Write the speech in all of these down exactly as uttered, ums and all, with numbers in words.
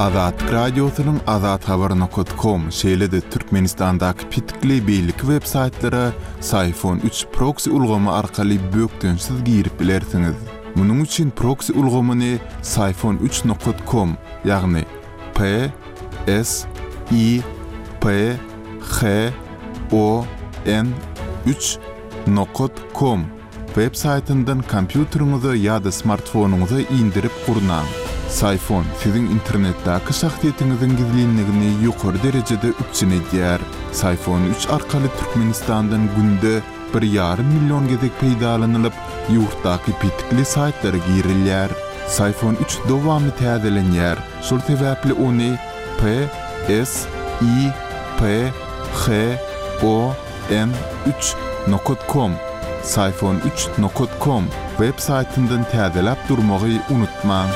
Azatlyk Radiosynyň azathabar nokat kom, şeýle-de Türkmenistandaky petikli beýleki web-saýtlara Syfon üç proksi ulgamy arkaly bökdençsiz girip bilersiňiz. Munuň üçin proksi ulgamyny Syfon üç nokat kom, ýagny P S I P H O N üç nokat kom web saýtyndan kompýuteriňize ýa-da smartfonyňyza indirip gurnaň. Syfon siziň internetdäki şahsyýetiňiziň gizlinligini ýokary derejede üpjün edýär. Syfon üç arkaly Türkmenistandan günde bir ýarym million gezek peýdalanylyp, ýurtdaky petikli saýtlara girilýär. Syfon üç dowamly täzelenýär. Şol sebäpli ony P S I P H O N üç nokat kom, Syfon üç nokat kom web saýtyndan täzeläp durmagy unutmaň.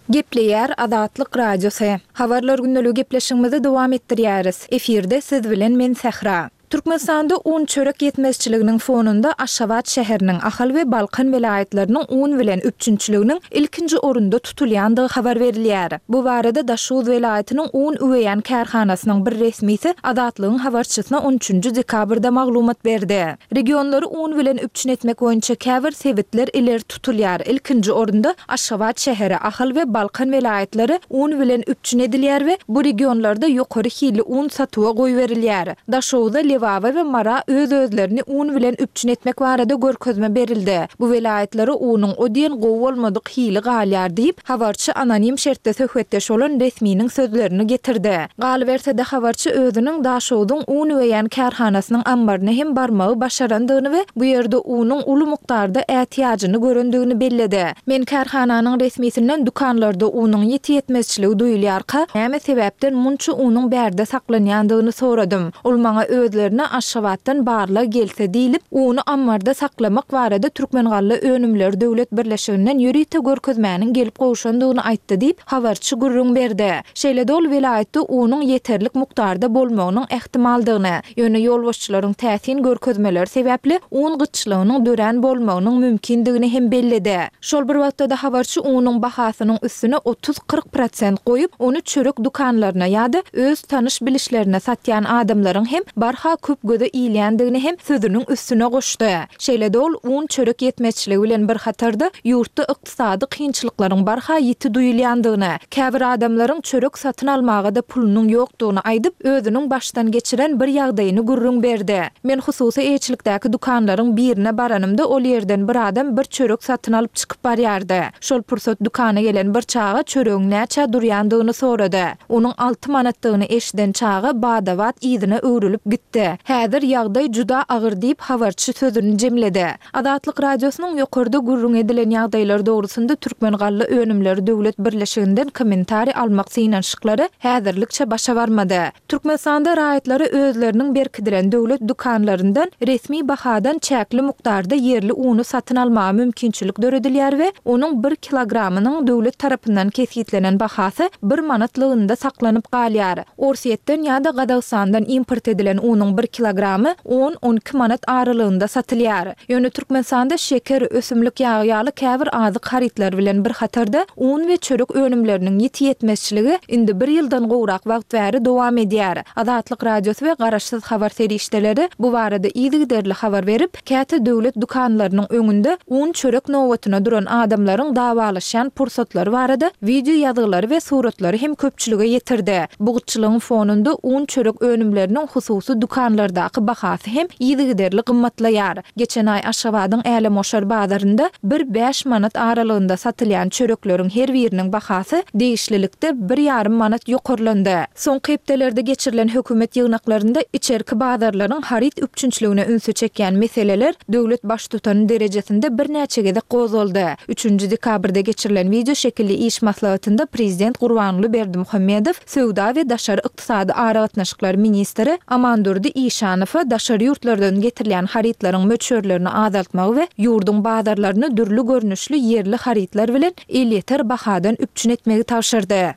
Gepleýär Azatlyk Radiosy. Habarlar gündeligi gepleşigimizi dowam etdirýäris. Efirde siz bilen men Sähra. Türkmenistanda un çörek ýetmezçiliginiň fonunda Aşgabat şäheriniň, Ahal we Balkan welaýatlarynyň un bilen üpjünçiliginiň ilkinji orunda tutulýandygy habar berilýär. Bu barada Daşoguz welaýatynyň un üweýän kärhanasynyň bir resmisi Azatlygyň habarçysyna on üçünji dekabrda maglumat berdi. Regionlary un bilen üpjün etmek boýunça käbir sebitler ileri tutulýar. Ilkinji orunda Aşgabat şäheri, Ahal we Balkan welaýatlary un bilen üpjün edilýär we bu regionlarda ýokary hilli un satuwa goýberilýär. Daşoguzda Lebaba we Mara öz-özlerini un bilen üpjün etmek barada görkezme berildi. Bu welaýatlara unuň o diýen gowy bolmadyk hili galýar diýip, habarçy anonim şertde söhbetdeş bolan resminiň sözlerini getirdi. Galyberse-de habarçy özüniň Daşogzuň un üweýän kärhanasynyň ammaryna hem barmagy başarandygyny we bu ýerde unuň uly mukdarda ätiýajyny görendigini belledi. Men kärhananyň resmisinden dükanlarda unuň ýeti ýetmezçiligi duýulýarka, näme sebäpden munça unuň bärde saklanýandygyny soradym. Ol maňa özlerine Aşgabatdan barlag gelse diýlip, uny ammarda saklamak barada Türkmengalla önümleri döwlet birleşiginden ýörite görkezmäniň gelip gowşandygyny aýtdy diýip, habarçy gürrüň berdi. Şeýle-de ol welaýatda unuň ýeterlik mukdarda bolmagynyň ähtimaldygyny, ýöne ýolbaşçylaryň täsin görkezmeleri sebäpli un gytçylygynyň dörän bolmagynyň mümkindigini hem belledi. Şol bir wagtda-da habarçy unuň bahasynyň üstüne otuz-kyrk prosent goýup, ony çörek dükanlaryna ýa-da öz tanyş bilişlerine satýan adamlaryň hem barha köp göze ilýändigini hem sözüniň üstüne goşdy. Şeýle-de ol un çörek ýetmezçiligi bilen bir hatarda ýurtda ykdysady kynçylyklaryň barha ýiti duýulýandygyny, käbir adamlaryň çörek satyn almaga-da pulunyň ýokdugyny aýdyp, özüniň başdan geçiren bir ýagdaýyny gürrüň berdi. Men hususy eýeçilikdäki dükanlaryň birine baranymda ol ýerden bir adam bir çörek satyn alyp çykyp barýardy. Şol pursat dükana gelen bir çaga çöregiň näçä durýandygyny sorady. Onuň alty manatdygyny eşiden çaga badabat yzyna öwrülip gitdi. Häzir ýagdaý juda agyr diýip habarçy sözüni jemledi. Azatlyk Radiosynyň ýokarda gürrüň edilen ýagdaýlar dogrusynda Türkmengalla önümleri döwlet birleşiginden kommentariý almak synanyşyklary häzirlikçe başa barmady. Türkmenistanda raýatlary özleriniň berkidilen döwlet dükanlaryndan resmi bahadan çäkli mukdarda ýerli uny satyn almaga mümkinçilik döredilýär we onuň bir kilogramynyň döwlet tarapyndan kesgitlenen bahasy bir manatlygynda saklanyp galýar. Orsýetden ýa-da Gazagystandan import edilen unuň bir kilogramy on-on iki manat aralygynda satylýar. Ýöne Türkmenistanda şeker, ösümlik ýagy ýaly käbir azyk harytlary bilen bir hatarda un we çörek önümleriniň ýiti ýetmezçiligi indi bir ýyldan gowrak wagt bäri dowam edýär. Azatlyk Radiosy we Garaşsyz habar serişdeleri bu barada yzygiderli habar berip, käte döwlet dükanlarynyň öňünde un çörek nobatyna duran adamlaryň dawalaşýan pursatlary barada wideo ýazgylary we suratlary hem köpçülige ýetirdi. Bu gytçylygyň fonunda un çörek önümleriniň hususy dükanlardaky bahasy hem yzygiderli gymmatlaýar. Geçen aý Aşgabadyň Älemoşar bazarynda bir bäş manat aralygynda satylýan çörekleriň her biriniň bahasy degişlilikde bir ýarym manat ýokarlandy. Soňky hepdelerde geçirilen hökümet ýygnaklarynda içerki bazarlaryň haryt üpjünçiligine ünsi çekýän meseleler döwlet baştutany derejesinde birnäçe gezek gozgaldy. Üçünji dekabrda geçirilen wideo şekilli iş maslahatynda prezident Gurbanguly Berdimuhamedow söwda we daşary ykdysady aragatnaşyklar ministri Amandurdy Işanowa daşary ýurtlardan getirilýän harytlaryň möçberlerini azaltmagy we ýurduň bazarlaryny dürli görnüşli ýerli harytlar bilen elýeter bahadan üpjün etmegi tabşyrdy.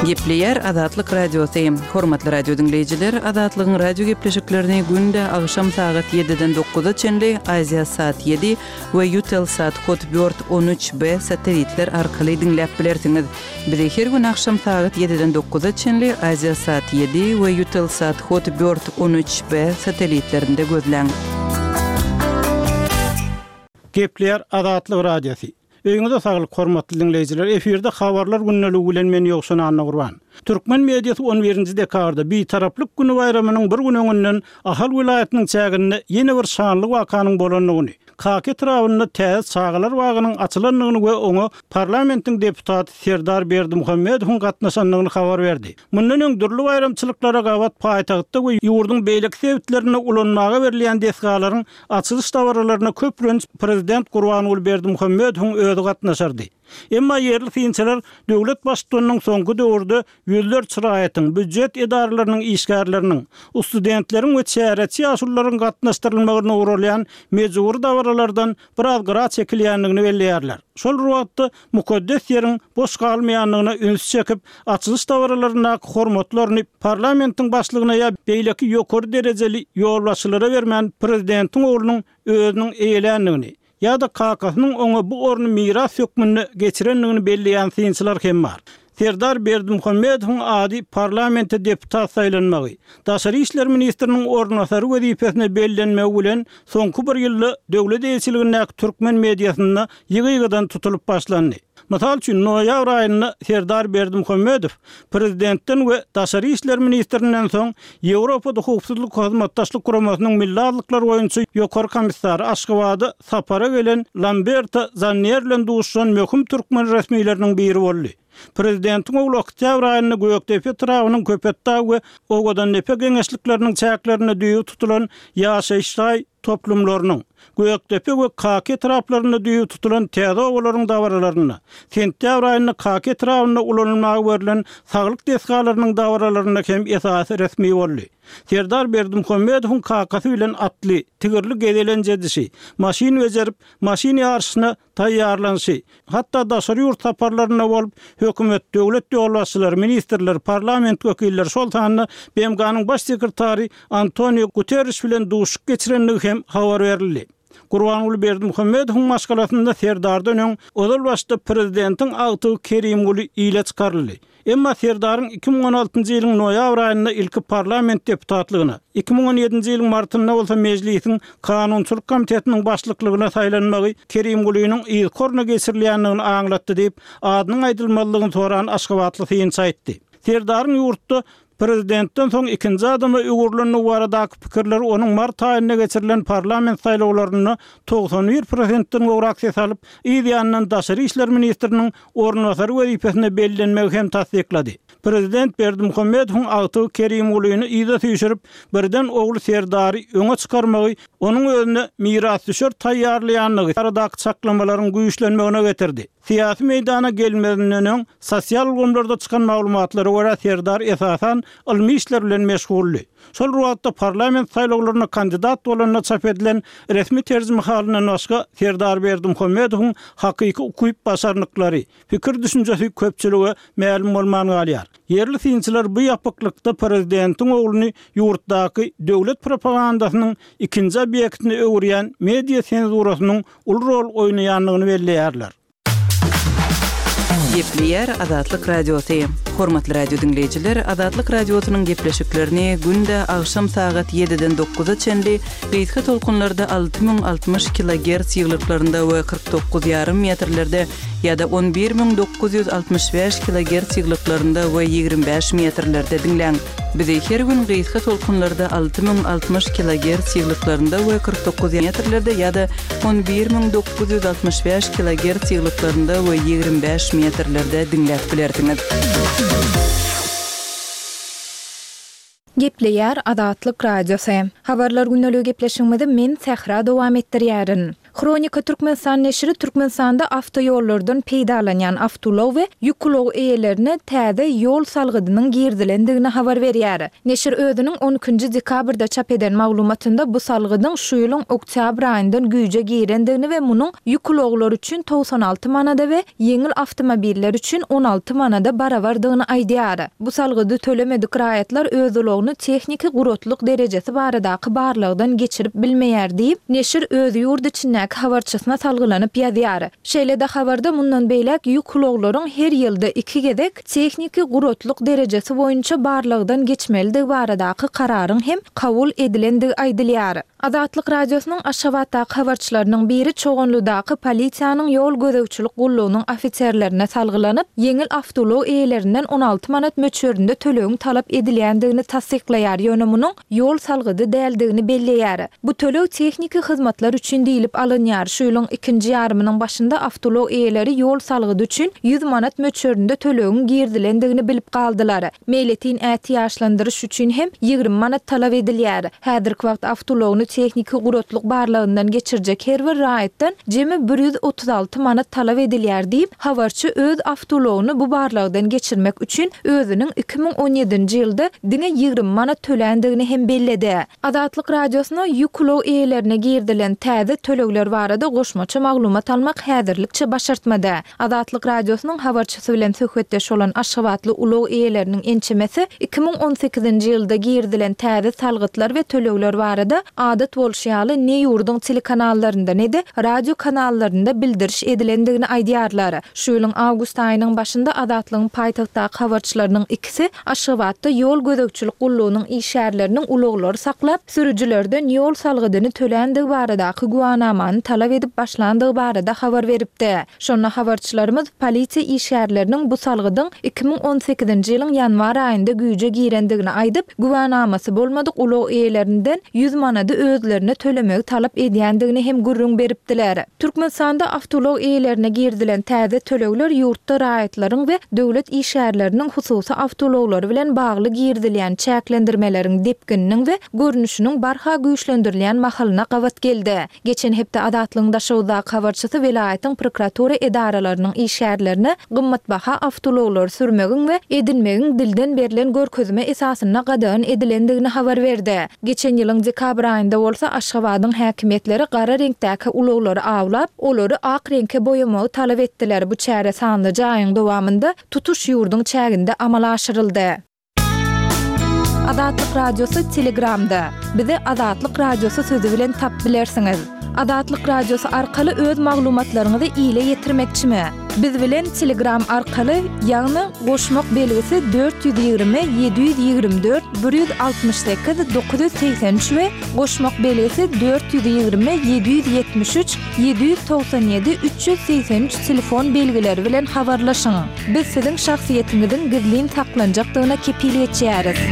Gepleýär Azatlyk Radiosy. Hormatly radio diňleýjiler, Azatlygyň radio gepleşiklerini günde agşam sagat ýediden dokuza çenli Aziýa saat ýedi we Eutelsat Hotbird on üç B satellitler arkaly diňläp bilersiňiz. Bizi her gün agşam sagat ýediden dokuza çenli Aziýa saat ýedi we Eutelsat Hotbird on üç B satellitlerinde gözläň. Gepleýär Azatlyk Radiosy. Öýüňize saglyk hormatly diňleýjiler. Efirde habarlar gündeligi bilen men Ýowşan Annagurban. Türkmen mediasy on birinji dekabrda Bitaraplyk günü baýramynyň bir gün öňünden Ahal welaýatynyň çäginde ýene bir şanly wakanyň bolandygyny, Kaka etrabynda täze çagalar bagynyň açylandygyny we oňa parlamentiň deputaty Serdar Berdimuhamedowyň gatnaşandygyny habar berdi. Mundan öň dürli baýramçylyklara gabat paýtagtda we ýurduň beýleki sebitlerinde ulanmaga berilýän desgalaryň açylyş dabaralaryna köplenç prezident Gurbanguly Berdimuhamedowyň özi gatnaşardy. Emma ýerli synçylar döwlet baştutanynyň soňky döwürde ýüzlerçe raýatyň, býujet edaralarynyň işgärleriniň, studentleriň we çäreçi ýaşulularyň gatnaşdyrylmagyna ugralýan mejbur dabaralardan biraz gyra çekilýändigini belleýärler. Şol wagtda mukaddes ýeriň boş galmaýandygyna üns çekip, açylyş dabaralaryndaky hormatlaryny parlamentiň başlygyna ýa beýleki ýokary derejeli ýolbaşçylara bermän prezidentiň oglunyň özüniň eýeländigini ýa-da kakasynyň oňa bu orny miras hökmünde geçirendigini belleýän synçylar hem bar. Serdar Berdimuhamedowyň ady parlamente deputat saýlanmagy, Daşary işler ministriniň orunbasary wezipesine bellenmegi bilen soňky bir ýylda döwlet eýeçiligindäki türkmen mediasynda ýygy-ýygydan tutulyp başlandy. Mysal üçin, noýabr aýynda Serdar Berdimuhamedow prezidentden we Daşary işler ministrinden soň Ýewropada howpsuzlyk hyzmatdaşlyk guramasynyň milli azlyklar boýunça ýokary komissary Aşgabada sapara gelen Lamberto Zannier bilen duşuşan möhüm türkmen resmileriniň biri boldy. Prezidentiň ogly oktýabr aýynda Gökdepe etrabynyň Köpetdag we Owadandepe geňeşlikleriniň çäklerinde düýbi tutulan ýaşaýyş jaý toplumlarynyň, Gökdepe we Kaka etraplarynda düýbi tutulan täze obalaryň dabaralarynda, sentýabr aýynda Kaka etrabynda ulanylmaga berlen saglyk desgalarynyň dabaralarynda hem esasy resmi boldy. Serdar Berdimuhamedowyň kakasy bilen atly, tigirli gezelenç edişi, maşyn bejerip, maşyn ýaryşyna taýýarlanyşy, hatda daşary ýurt saparlarynda bolup, hökümet, döwlet ýolbaşçylary, ministrler, parlament wekilleri, şol sanda B M G-nyň baş sekretary Antonio Guterres bilen duşuşyk geçirendigi hem habar berildi. Gurbanguly Berdimuhamedowyň maşgalasynda Serdardan öň ozal başda prezidentiň agtygy Kerimguly ile çykaryldy. Emma Serdaryň iki müň on altynjy ýylyň noýabr aýynda ilki parlament deputatlygyna, iki müň on ýedinji ýylyň martynda bolsa mejlisiň kanunçylyk komitetiniň başlyklygyna saýlanmagy Kerimgulynyň yzkoruna geçirilýändigini aňlatdy diýip, adynyň aýdylmazlygyny soran Aşgabatly synçy aýtdy. Serdaryň ýurtda prezidentden soň ikinji adama öwrülendigi baradaky pikirler onuň mart aýynda geçirilen parlament saýlawlarynda togsan bir prosentden gowrak ses alyp, yz ýanyndan Daşary işler ministriniň orunbasary wezipesine bellenmegi hem tassyklady. Prezident Berdimuhamedowyň agtygy Kerimgulyny yza süýşürip, birden ogly Serdary öňe çykarmagy onuň özüne mirasdüşer taýýarlaýandygy baradaky çaklamalaryň güýçlenmegine getirdi. Syýasy meýdana gelmezinden öň sosial ulgamlarda çykan maglumatlara görä Serdar esasan ylmy işler bilen meşguldy. Şol wagtda parlament saýlawlaryna kandidat bolanda çap edilen resmi terjimehalyndan başga Serdar Berdimuhamedowyň hakyky ukyp başarnyklary, pikir düşünjesi köpçülige mälim bolman galýar. Ýerli synçylar bu ýapyklykda prezidentiň ogluny ýurtdaky döwlet propagandasynyň ikinji obýektini öwürýän media senzurasynyň uly rol oýnaýandygyny belleýärler. Gepleýär Azatlyk Radiosy. Hormatly radio diňleýjiler, Azatlyk Radiosynyň gepleşiklerini günde agşam sagat ýediden dokuza çenli gysga tolkunlarda alty müň altmyş kilogertz ýyglyklarynda we kyrk dokuz ýarym metrlerde ýa-da on bir müň dokuz ýüz altmyş bäş kilogertz ýyglyklarynda we ýigrimi bäş metrlerde diňläň. Bizi her gün gysga tolkunlarda alty müň altmyş kilogertz ýyglyklarynda we kyrk dokuz metrlerde ýa-da on bir müň dokuz ýüz altmyş bäş kilogertz ýyglyklarynda we ýigrimi bäş metrlerde diňläp bilersiňiz. Gepleýär Azatlyk Radiosy. Habarlar gündeligi gepleşigimizi men Sähra dowam etdirýärin. Hronika Türkmenistan neşiri Türkmenistanda awtoýollardan peýdalanýan awtoulag we ýük ulag eýelerine täze ýol salgydynyň girizilendigini habar berýär. Neşir özüniň on ikinji dekabrda çap eden maglumatynda bu salgydyň şu ýylyň oktýabr aýyndan güýje girendigini we munuň ýük ulaglary üçin togsan alty manada we ýeňil awtomobiller üçin on alty manada barabardygyny aýdýar. Bu salgydy tölemedik raýatlar öz ulagyny tehniki guratlyk derejesi baradaky barlagdan geçirip bilmeýär diýip, neşir öz ýurt içindäki habarçysyna salgylanyp ýazýar. Şeýle-de habarda mundan beýläk ýük ulaglaryň her ýylda iki gezek tehniki guratlyk derejesi boýunça barlagdan geçmelidigi baradaky kararyň hem kabul edilendigi aýdylýar. Azatlyk Radiosynyň Aşgabatdaky habarçylarynyň biri Çoganlydaky polisiýanyň ýol gözegçilik gullugynyň ofiserlerine salgylanyp, ýeňil awtoulag eýelerinden on alty manat möçberinde tölegiň talap edilýändigini tassyklaýar, ýöne munuň ýol salgydy däldigini belleýär. Bu töleg tehniki hyzmatlar üçin diýlip alynýar. Şu ýylyň ikinji ýarymynyň başynda awtoulag eýeleri ýol salgydy üçin ýüz manat möçberinde tölegiň girizilendigini bilip galdylar. Meýletin ätiýaçlandyryş üçin hem ýigrimi manat talap edilýär. Häzirki wagt awtoulagyny tehniki guratlyk barlagyndan geçirjek her bir raýatdan jemi bir ýüz otuz alty manat talap edilýär diýip, habarçy öz awtoulagyny bu barlagdan geçirmek üçin özüniň iki müň on ýedinji ýylda diňe ýigrimi manat töländigini hem belledi. Azatlyk Radiosyna ýük ulag eýelerine girizilen täze tölegler barada goşmaça maglumat almak häzirlikçe başartmady. Azatlyk Radiosynyň habarçysy bilen söhbetdeş bolan Aşgabatly ulag eýeleriniň ençemesi iki müň on sekizinji ýylda girizilen täze salgytlar we tölegler barada adat bolşy ýaly ne ýurduň telekanallarynda ne-de radio kanallarynda bildiriş edilendigini aýdýarlar. Şu ýylyň awgust aýynyň başynda Azatlygyň paýtagtdaky habarçylarynyň ikisi Aşgabatda ýol gözegçilik gullugynyň işgärleriniň ulaglary saklap, sürüjilerden ýol salgydyny töländigi baradaky güwanamany talap edip başlandygy barada habar beripdi. Şonda habarçylarymyz polisiýa işgärleriniň bu salgydyň iki müň on sekizinji ýylyň ýanwar aýynda güýje girendigini aýdyp, güwanamasy bolmadyk ulag eýelerinden ýüz manady özlerine tölemegi talap edýändigini hem gürrüň beripdiler. Türkmenistanda awtoulag eýelerine girizilen täze tölegler ýurtda raýatlaryň we döwlet işgärleriniň hususy awtoulaglary bilen bagly girizilýän çäklendirmeleriň depgininiň we görnüşiniň barha güýçlendirilýän mahalyna gabat geldi. Geçen hepde Azatlygyň Daşoguzdaky habarçysy welaýatyň prokuratura edaralarynyň işgärlerine gymmatbaha awtoulaglary sürmegiň we edinmegiň dilden berlen görkezme esasynda gadagan edilendigini habar berdi. Geçen ýylyň dekabr aýynda bolsa Aşgabadyň häkimiýetleri gara reňkdäki ulaglary awlap, olary ak reňke boýamagy talap etdiler. Bu çäre sanlyja aýyň dowamynda tutuş ýurduň çäginde amala aşyryldy. Azatlyk Radiosy Telegramda. Bizi Azatlyk Radiosy sözi bilen tap bilersiňiz. Azatlyk Radiosy arkaly öz maglumatlaryňyzy ile ýetirmekçimi? Biz bilen Telegram arkaly, ýagny goşmak belgisi dört ýüz ýigrimi, ýedi ýüz ýigrimi dört, bir ýüz altmyş sekiz, dokuz ýüz segsen üç we goşmak belgisi dört ýüz ýigrimi, ýedi ýüz ýetmiş üç, ýedi ýüz togsan ýedi, üç ýüz segsen üç telefon belgileri bilen habarlaşyň. Biz siziň şahsyýetiňiziň gizlin saklanjakdygyna kepil geçýäris.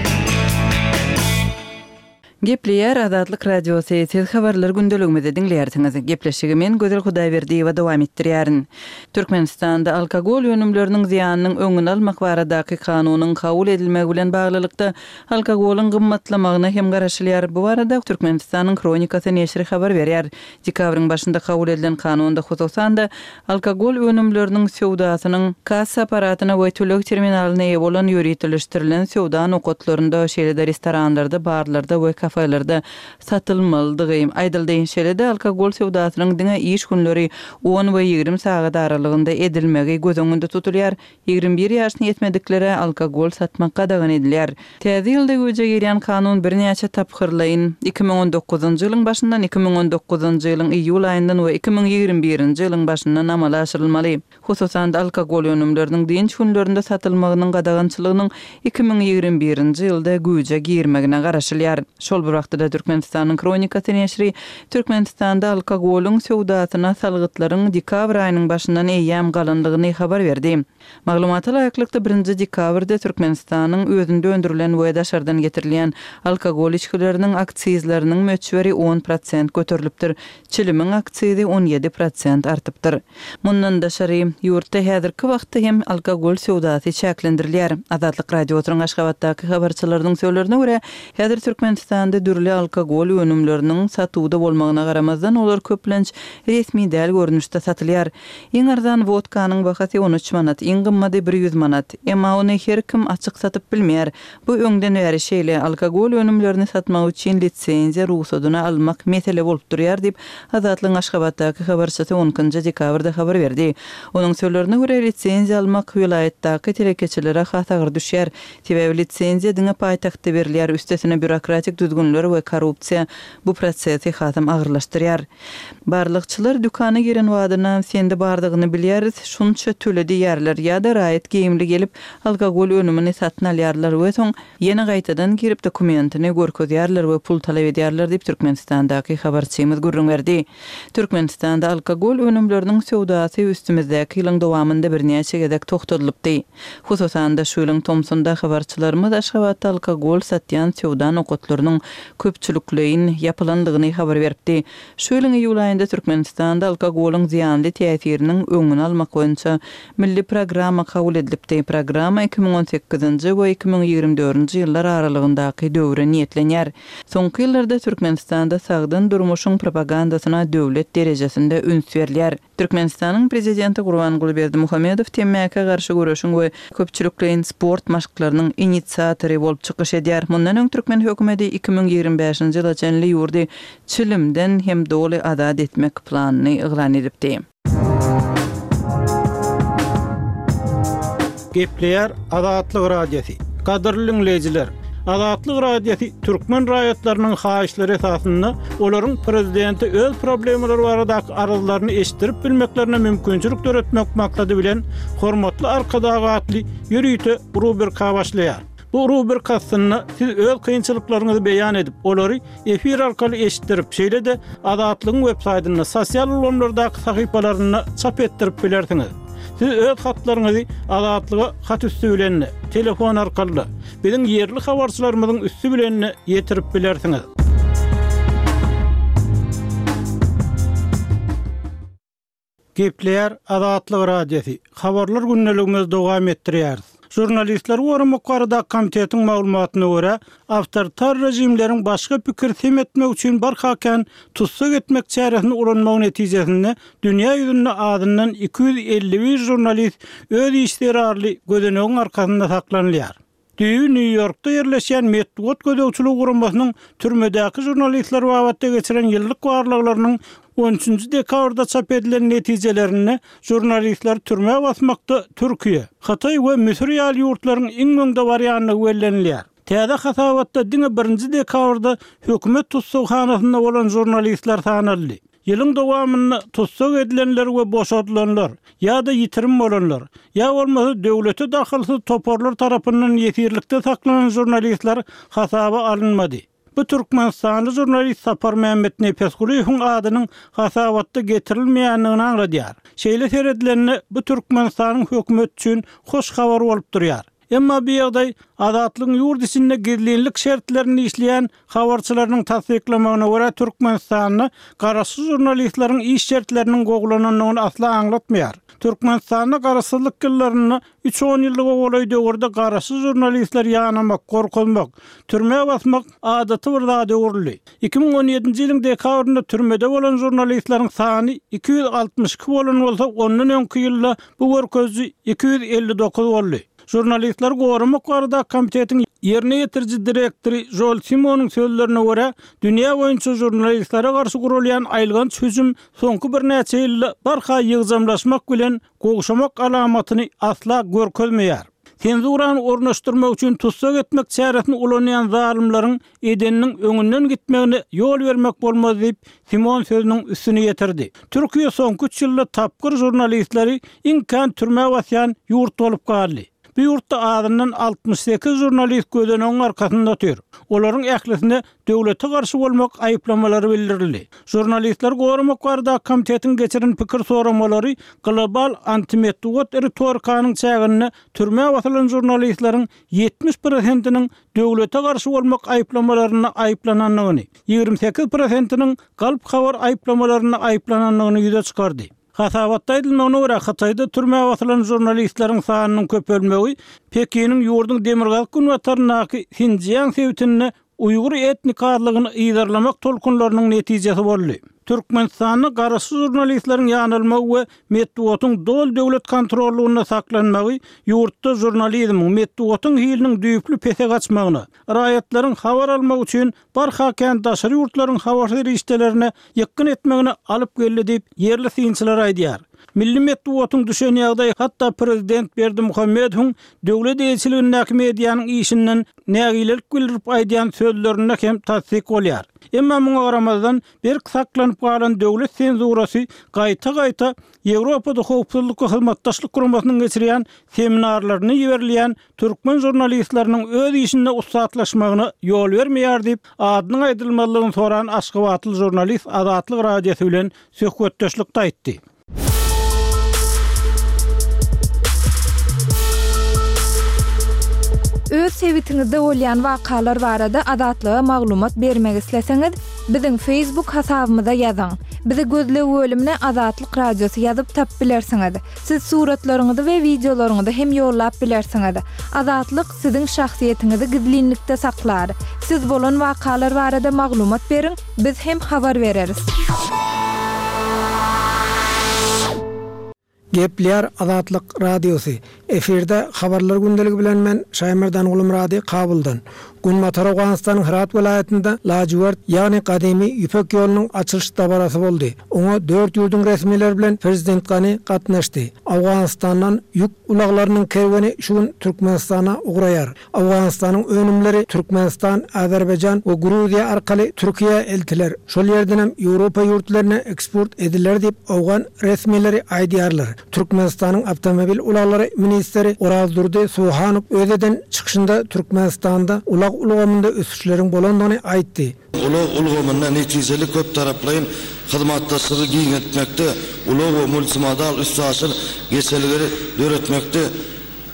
Gepleýär Azatlyk Radiosy, siz habarlar gündeligimizi diňleýärsiňiz. Gepleşigi men Gözel Hudaýberdiýewa dowam etdirýärin. Türkmenistanda alkogol önümleriniň zyýanynyň öňüni almak baradaky kanunyň kabul edilmegi bilen baglylykda alkogolyň gymmatlamagyna hem garaşylýar. Bu barada Türkmenistanyň Hronikasy neşiri habar berýär. Dekabryň başynda kabul edilen kanunda hususan-da alkogol önümleriniň söwdasynyň kassa apparatyna we töleg terminalyna eýe bolan ýöriteleşdirilen söwda nokatlarynda, şeýle-de restoranlarda, barlarda we kafelerde satylmalydygy aýdyldy. Şeýle-de alkogol söwdasynyň diňe iş günleri on we ýigrimi sagat aralygynda edilmegi göz öňünde tutulýar. Ýigrimi bir ýaşyna ýetmediklere alkogol satmak gadagan edilýär. Täze ýylda güýje girýän kanun birnäçe tapgyrlaýyn iki müň on dokuzynjy ýylyň başyndan, iki müň on dokuzynjy ýylyň iýul aýyndan we iki müň ýigrimi birinji ýylyň başyndan amala aşyrylmaly. Hususan-da alkogol önümleriniň dynç günlerinde satylmagynyň gadagançylygynyň iki müň ýigrimi birinji ýylda güýje girmegine garaşylýar. Şol bir wagtda Türkmenistanyň Hronikasy neşiri Türkmenistanda alkogolyň söwdasyna salgytlaryň dekabr aýynyň başyndan eýýäm galandygyny habar berdi. Maglumata laýyklykda birinji dekabrda Türkmenistanyň özünde öndürilen we daşardan getirilýän alkogol içgileriniň aksizleriniň möçberi on prosent göterilipdir. Çilimiň aksizi on ýedi prosent artypdyr. Mundan daşary ýurtda häzirki wagtda hem alkogol söwdasy çäklendirilýär. Azatlyk Radiosynyň Aşgabatdaky habarçylarynyň sözlerine görä, häzir Türkmenistanda Türkmenistanda dürli alkogol önümleriniň satuwda bolmagyna garamazdan, olar köplenç resmi däl görnüşde satylýar. Iň arzan wodkanyň bahasy on üç manat, iň gymmady bir ýüz manat. Emma ony her kim açyk satyp bilmeýär. Bu öňden bäri şeýle, alkogol önümlerini satmak üçin lisenziýa rugsadyny almak mesele bolup durýar diýip, Azatlygyň Aşgabatdaky habarçysy on ikinji dekabrda habar berdi. Onuň sözlerine görä, lisenziýa almak welaýatdaky telekeçilere has agyr düşýär. Sebäbi lisenziýa diňe paýtagtda berilýär, üstesine býurokratik düzgünler we korrupsiýa bu prosesi hasam agyrlaşdyrýar. Barlagçylar dükana giren badyna sende bardygyny bilýäris, şunça töle diýýärler ýa-da raýat geýimli gelip, alkogol önümini satyn alýarlar we soň ýene gaýtadan girip dokumentini görkezýärler we pul talap edýärler diýip Türkmenistandaky habarçymyz gürrüň berdi. Türkmenistanda alkogol önümleriniň söwdasy üstümizdäki ýylyň dowamynda birnäçe gezek togtadylypdy. Hususan-da şu ýylyň tomsunda habarçylarymyz Aşgabatda alkogol satýan söwda nokatlarynyň köpçülikleýin ýapylandygyny habar beripdi. Şu ýylyň iýul aýynda Türkmenistanda alkogolyň zyýanly täsiriniň öňüni almak boýunça milli programma kabul edilipdi. Programma iki müň on sekizinji we iki müň ýigrimi dördünji ýyllar aralygyndaky döwre niýetlenýär. Soňky ýyllarda Türkmenistanda sagdyn durmuşyň propagandasyna döwlet derejesinde üns berilýär. Türkmenistanyň prezidenti Gurbanguly Berdimuhamedow temmäkä garşy göreşiň we köpçülikleýin sport maşklarynyň inisiatory bolup çykyş edýär. Mundan öň türkmen hökümeti iki müň ýigrimi bäşinji ýyla çenli ýurdy çilimden hem doly azat etmek planyny yglan edipdi. Gepleýär Azatlyk Radiosy. Gadyrly dinleýjiler, Azatlyk Radiosy türkmen raýatlarynyň haýyşlary esasynda olaryň prezidenti öz problemalary baradaky arzlaryny eşitdirip bilmeklerine mümkinçilik döretmek maksady bilen Hormatly Arkadag atly ýörite rubrika başlaýar. Bu rubrika aslynda siz öz kynçylyklaryňyzy beýan edip, olary efir arkaly eşitdirip, şeýle-de Azatlygyň web saýtynda, sosial ulgamlardaky sahypalarynda çap etdirip bilersiňiz. Siz öz hatlaryňyzy Azatlyga hat üstü bilen, telefon arkaly, biziň ýerli habarçylarymyzyň üstü bilen ýetirip bilersiňiz. Gepleýär Azatlyk Radiosy. Habarlar gündeligimizi dowam etdirýäris. Žurnalistler goramak barada komitetiň maglumatyna görä, awtoritar rejimleriň başga pikir sem etmek üçin barha kän tussag etmek çäresini ulanmagy netijesinde dünýä ýüzünde azyndan iki ýüz elli bir žurnalist öz iş zerarly gözenegiň arkasynda saklanylýar. Düýbi Nýu-Ýorkda ýerleşýän metbugat gözegçiligi guramasynyň türmedäki žurnalistler babatda geçiren ýyllyk barlaglarynyň on üçünji dekabrda çap edilen netijelerinde žurnalistler türmä basmakda Türkiýe, Hytaý we Müsür ýaly ýurtlaryň iň öňde barýandygy bellenilýär. Täze hasabatda diňe birinji dekabrda hökümet tussaghanasynda bolan žurnalistler sanaldy. Ýylyň dowamynda tussag edilenler we boşadylanlar ýa-da ýitirim bolanlar, ýa bolmasa döwlete dahylsyz toparlar tarapyndan ýesirlikde saklanan žurnalistler hasaba alynmady. Bu Türkmenistanly žurnalist Sapar Mehmet Nepesgulyýewiň adynyň hasabatda getirilmeýändigini aňladýar. Şeýle seredilende bu Türkmenistanyň hökümeti üçin hoş habar bolup durýar. Emma bu ýagdaý Azatlygyň ýurt içinde gizlinlik şertlerini işleýän habarçylarynyň tassyklamagyna görä Türkmenistanda garaşsyz žurnalistleriň iş şertleriniň gowulanandygyny asla aňlatmaýar. Türkmenistanda garaşsyzlyk ýyllarynda üç on ýyllyk golaý döwürde garaşsyz žurnalistler ýanamak, gorkuzmak, türmä basmak adaty bir zat öwrüldi. iki müň on ýedinji ýylyň dekabrynda türmede bolan žurnalistleriň sany iki ýüz altmyş iki bolan bolsa, ondan öňki ýylda bu görkeziji iki ýüz elli dokuz boldy. Žurnalistler goramak barada komitetiň ýerine ýetiriji direktory Joel Simonyň sözlerine görä, dünýä boýunça žurnalistlere garşy gurulýan aýylganç hüjüm soňky birnäçe ýylda barha ýygjamlaşmak bilen gowşamak alamatyny asla görkezmeýär. Senzurany ornaşdyrmak üçin tussag etmek çäresini ulanýan zalymlaryň edeniniň öňünden gitmegine ýol bermek bolmaz diýip Simon sözüniň üstüni ýetirdi. Türkiýe soňky üç ýylda tapgyr žurnalistleri iň kän türmä basýan ýurt bolup galdy. Bu ýurtda azyndan altmyş sekiz žurnalist gözenegiň arkasynda otyr. Olaryň ählisine döwlete garşy bolmak aýyplamalary bildirildi. Žurnalistler goramak barada komitetiň geçiren pikir soramalary global antimetbugat ritorikanyň çäginde türmä basylan žurnalistleriň ýetmiş prosentiniň döwlete garşy bolmak aýyplamalaryna aýyplanandygyny, ýigrimi sekiz prosentiniň galp habar aýyplamalaryna aýyplanandygyny ýüze çykardy. Hasabatda aýdylmagyna görä, Hytaýda türmä basylan žurnalistleriň sanynyň köpelmegi Pekiniň ýurduň demirgazyk günbataryndaky Sinjiang sebitinde uýgur etnik azlygyny yzarlamak tolkunlarynyň netijesi boldy. Türkmenistanda garaşsyz žurnalistleriň ýanalmagy we metbugatyň doly döwlet kontrollygynda saklanmagy ýurtda žurnalizmiň, metbugatyň hiliniň düýpli pese gaçmagyna, raýatlaryň habar almak üçin barha kän daşary ýurtlaryň habar serişdelerine ýykgyn etmegine alyp geldi diýip, ýerli synçylar aýdýar. Milli metbugatyň düşen ýagdaýy hatda prezident Berdimuhamedowyň döwlet eýeçiligindäki medianyň işinden nägilelik bildirip aýdýan sözlerinde hem tassyk bolýar. Emma muňa garamazdan, berk saklanyp galan döwlet senzurasy gaýta-gaýta Ýewropada Howpsuzlyk we Hyzmatdaşlyk Guramasynyň geçirýän seminarlaryna iberilýän türkmen žurnalistleriniň öz işinde ussatlaşmagyna ýol bermeýär diýip, adynyň aýdylmazlygyny soran aşgabatly žurnalist Azatlyk Radiosy bilen söhbetdeşlikde aýtdy. Öz sebitiňizde bolýan wakalar barada Azatlyga maglumat bermek isleseňiz, biziň Facebook hasabymyza ýazyň. Bizi gözleg bölümine Azatlyk Radiosy ýazyp tapyp bilersiňiz. Siz suratlaryňyzy we wideolaryňyzy hem ýollap bilersiňiz. Azatlyk siziň şahsyýetiňizi gizlinlikde saklar. Siz bolan wakalar barada maglumat beriň, biz hem habar bereris. Gepleýär Azatlyk Radiosy. Efirde Habarlar gündeligi bilen men Şaýmerdan Gulmyrady Kabuldan. Günbatar Owganystanyň Hyrat welaýatynda lajywert, ýagny gadymy Ýüpek ýolunyň açylyş dabarasy boldy. Oňa dört ýurduň resmileri bilen prezident Gani gatnaşdy. Owganystandan ýük ulaglarynyň kerweni şu gün Türkmenistana ugraýar. Owganystanyň önümleri Türkmenistan, Azerbaýjan we Gruziýa arkaly Türkiýä eltiler, şol ýerdenem Ýewropa ýurtlaryna eksport ediler diýip, owgan resmileri aýdýarlar. Türkmenistanyň awtomobil ulaglary ministri Orazdurdy Suhanow öz eden çykyşynda Türkmenistanda ulag ulgamynda ösüşleriň bolandygyny aýtdy. Ulag ulgamynda netijeli köptaraplaýyn hyzmatdaşlygy giňeltmekde, ulag we multimodal üstaşyr geçelgeleri döretmekde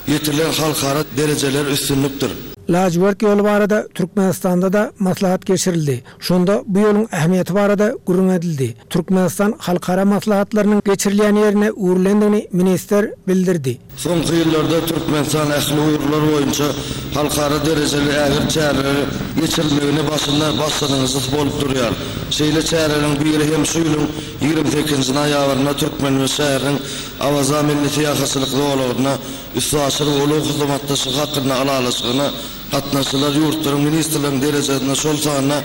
ýetirilen halkara derejeleri üstünlikdir. Lajywert ýoly barada Türkmenistanda-da maslahat geçirildi. Şonda bu ýoluň ähmiýeti barada gürrüň edildi. Türkmenistan halkara maslahatlarynyň geçirilýän ýerine öwrülendigini ministr bildirdi. Soňky ýyllarda Türkmenistan ähli ugurlar boýunça halkara derejeli ägirt çäreleri geçirilmegine başynda başlangyjysy bolup durýar. Şeýle çäreleriň biri hem şu ýylyň ýigrimi sekizinji noýabrynda Türkmenbaşy şäheriniň Awaza milli syýahatçylyk zolagynda üstaşyr we ulag hyzmatdaşlygy hakynda ylalaşygyna gatnaşyjylar ýurtlaryň ministrleriniň derejesinde, şol sanda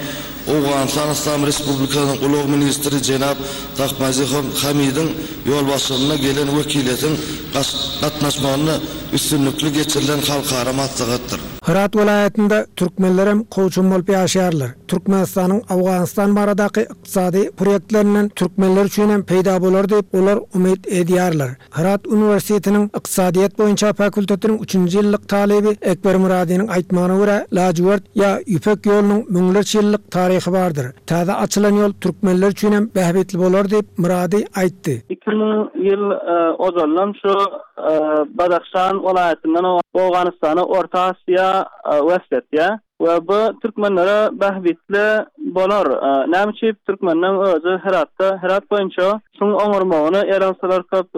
Owganystan Yslam Respublikasynyň ulag ministri jenap Tahmazi Hamidiň ýolbaşçylygynda gelen wekiliýetiň gatnaşmagynda üstünlikli geçirilen halkara maslahatdyr. Hyrat welaýatynda türkmenlerem kowçum bolup ýaşaýarlar. Türkmenistanyň Owganystan baradaky ykdysady proýektlerinden türkmenler üçinem peýda bolar diýip, olar umyt edýärler. Hyrat uniwersitetiniň ykdysadyýet boýunça fakultetiniň üçünji ýyllyk talyby Ekber Myradynyň aýtmagyna görä, lajywert ýa Ýüpek ýolunyň müňlerçe ýyllyk taryhy bardyr. Täze açylan ýol türkmenler üçinem bähbitli bolar diýip, Myrady aýtdy. Iki müň ýyl ozaldan şu Badahşan welaýatyndan Owganystana, Orta Asyýa wesl etýär. We bu türkmenlere bähbitli bolar. Näme üçin türkmenleň özi Heratda, Herat boýunça şuň oňarmagyny eransalar köp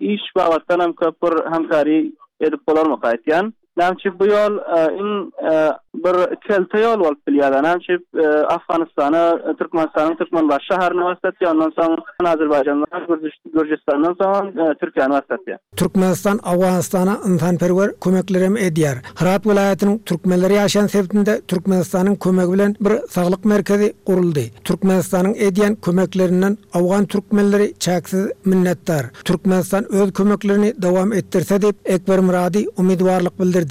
iş babatdan hem köp bir hemkary edip bolarmyka aýtýan. Näme üçin bu ýol iň bir kelte ýol bolup bilýär. Näme üçin Afganystana, Türkmenistanyň Türkmenbaşy şäherine waslatýar, ondan soň Azerbaýjandan, Gürjüstandan soň Türkiýäni waslatýar. Türkmenistan Owganystana ynsanperwer kömeklerem edýär. Hyrat welaýatynyň türkmenler ýaşaýan sebitinde Türkmenistanyň kömegi bilen bir saglyk merkezi guruldy. Türkmenistanyň edýän kömeklerinden owgan türkmenleri çäksiz minnetdar. Türkmenistan öz kömeklerini dowam etdirse diýip, Ekber Myrady umydybarlyk bildirdi.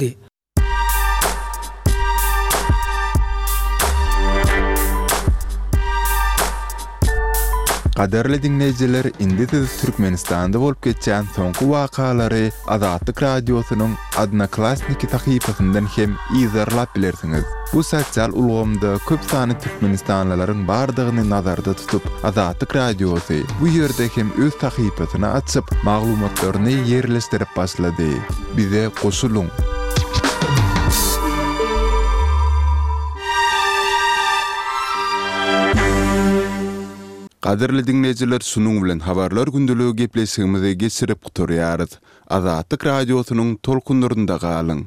Gadyrly diňleýjiler, indi siz Türkmenistanda bolup geçýän soňky wakalary Azatlyk Radiosynyň Odnoklassniki sahypasyndan hem yzarlap bilersiňiz. Bu sosial ulgamda köp sanly türkmenistanlylaryň bardygyny nazarda tutup, Azatlyk Radiosy bu ýerde hem öz sahypasyny açyp, maglumatlaryny ýerleşdirip başlady. Bize goşulyň! Gadyrly diňleýjiler, şunuň bilen Habarlar gündeligi gepleşigimizi geçirip gutarýarys. Azatlyk Radiosynyň tolkunlarynda galyň!